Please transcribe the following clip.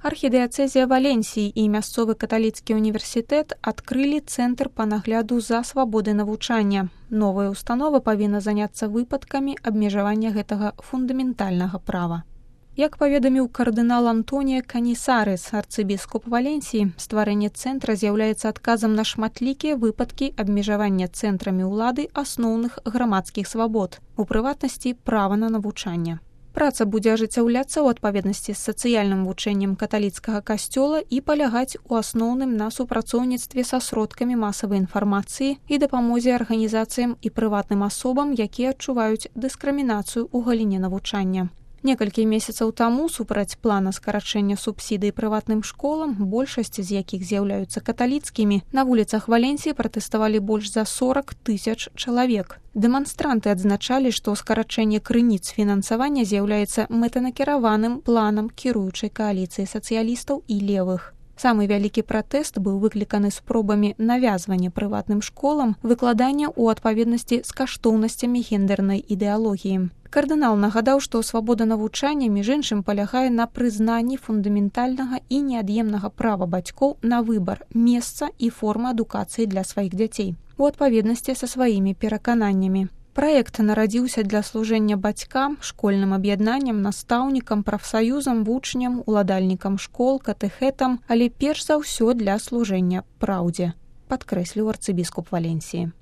Архідыяцэзія Валенсіі і мясцовы каталіцкі універсітэт адкрылі цэнтр па нагляду за свабодай навучання. Новая установа павінна заняцца выпадкамі абмежавання гэтага фундаментальнага права. Як паведаміў кардынал Антонія Канісарес, арцыбіскуп Валенсіі, стварэнне цэнтра з'яўляецца адказам на шматлікія выпадкі абмежавання цэнтрамі ўлады асноўных грамадскіх свабод, у прыватнасці права на навучанне. Праца будзе ажыццяўляцца ў адпаведнасці з сацыяльным вучэннем каталіцкага касцёла і палягаць у асноўным на супрацоўніцтве са сродкамі масавай інфармацыі і дапамозе арганізацыям і прыватным асобам, якія адчуваюць дыскрымінацыю ў галіне навучання. Некалькі месяцаў таму супраць плана скарачэння субсідый прыватным школам, большасць з якіх з'яўляюцца каталіцкімі, на вуліцах Валенсіі пратэставалі больш за 40 000 чалавек. Дэманстранты адзначалі, што скарачэнне крыніц фінансавання з'яўляецца мэтанакіраваным планам кіруючай кааліцыі сацыялістаў і левых. Самы вялікі пратэст быў выкліканы спробамі навязвання прыватным школам выкладання ў адпаведнасці з каштоўнасцямі гендернай ідэалогіі. Кардынал нагадаў, што свабода навучання, між іншым, палягае на прызнанні фундаментальнага і неад'емнага права бацькоў на выбар месца і формы адукацыі для сваіх дзяцей у адпаведнасці са сваімі перакананнямі. Праект нарадзіўся для служэння бацькам, школьным аб'яднанням, настаўнікам, прафсаюзам, вучням, уладальнікам школ, катэхетам, але перш за ўсё для служэння праўдзе, падкрэсліў арцыбіскуп Валенсіі.